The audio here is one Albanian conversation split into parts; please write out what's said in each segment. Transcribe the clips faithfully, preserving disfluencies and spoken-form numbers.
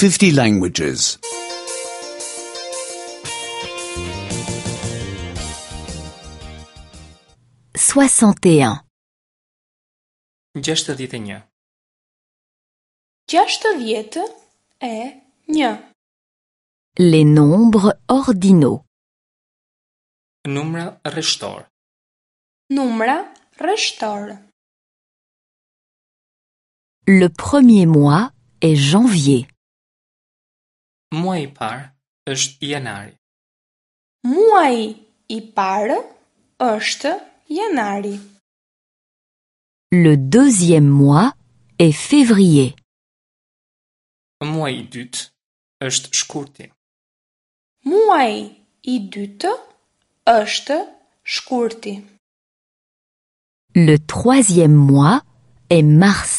fifty languages. soixante et un, gjashtëdhjetë e një, Gjashtëdhjetë e një. Les nombres ordinaux. Numra rreshtor. Numra rreshtor. Le premier mois est janvier. Muaji i parë është janari. Muaji i parë është janari. Le deuxième mois est février. Muaji i dytë është shkurti. Muaji i dytë është shkurti. Le troisième mois est mars.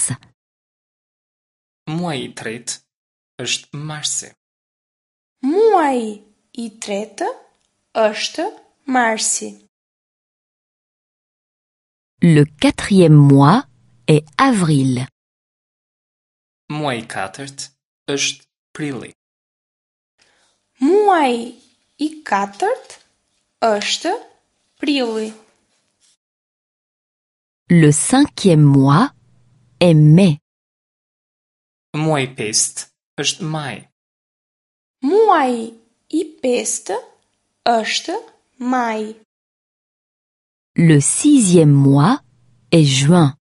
Muaji i tretë është marsi. Muaji i tretë është marsi. Le quatrième mois est avril. Muaji i katërt është prilli. Muaji i katërt është prilli. Le cinquième mois est mai. Muaji i pestë është maj. Muaji i pestë është maj. Le sixième mois est juin.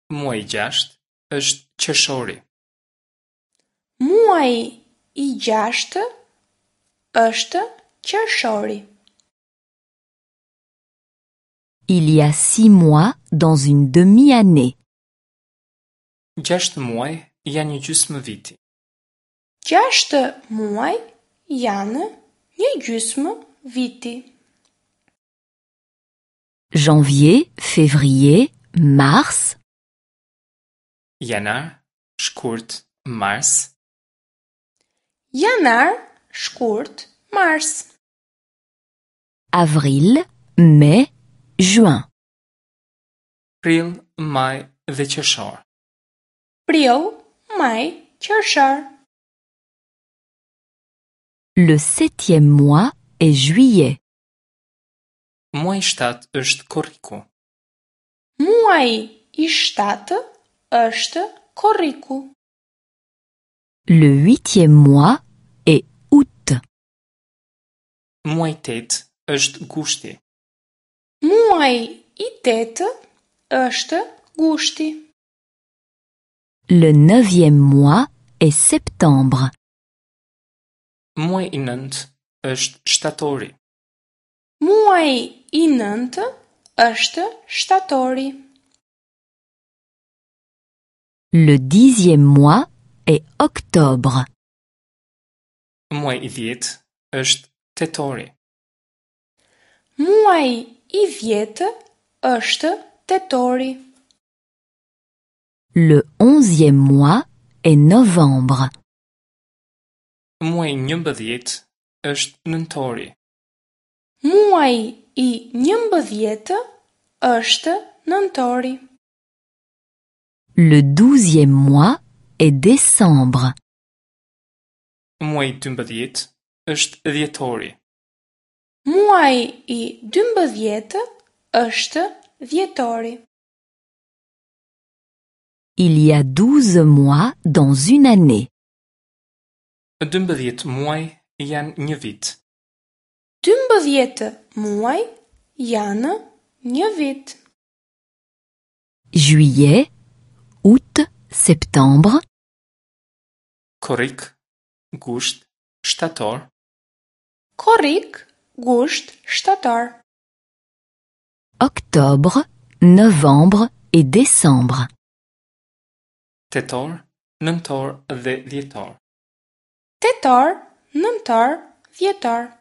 Muaji i gjashtë është qershori. Muaji i gjashtë është qershori. Il y a six mois dans une demi-année. Gjashtë muaj janë një gjysmë viti. Gjashtë muaj janë një gjysmë viti. Janvier, février, mars, Janar, shkurt, mars, Janar, shkurt, mars. Avril, mai, juin. Prill, maj dhe qershor. Prill, maj, qershor. Le septième mois est juillet. Muaji i shtatë është korriku. Muaji i shtatë është korriku. Le huitième mois est août. Muaji i tetë është gushti. Muaji i tetë është gushti. Le neuvième mois est septembre. Muaji i nëntë është shtatori. Muaji i nëntë është shtatori. Le dixième mois est octobre. Muaji i dhjetë është tetori. Muaji i dhjetë është tetori. Le onzième mois est novembre. Muaji i njëmbëdhjetë është nëntori. Muaji i njëmbëdhjetë është nëntori. Le douzième mois est décembre. Muaji i dymbëdhjetë është dhjetori. Muaji i dymbëdhjetë është dhjetori. Il y a douze mois dans une année. Dymbëdhjetë muaj janë një vit. Dymbëdhjetë muaj janë një vit. Juillet, août, septembre, Korrik, gusht, shtator, Korrik, gusht, shtator. Octobre, novembre et décembre. Tetor, nëntor dhe dhjetor. Tetor, nëntor, dhjetor.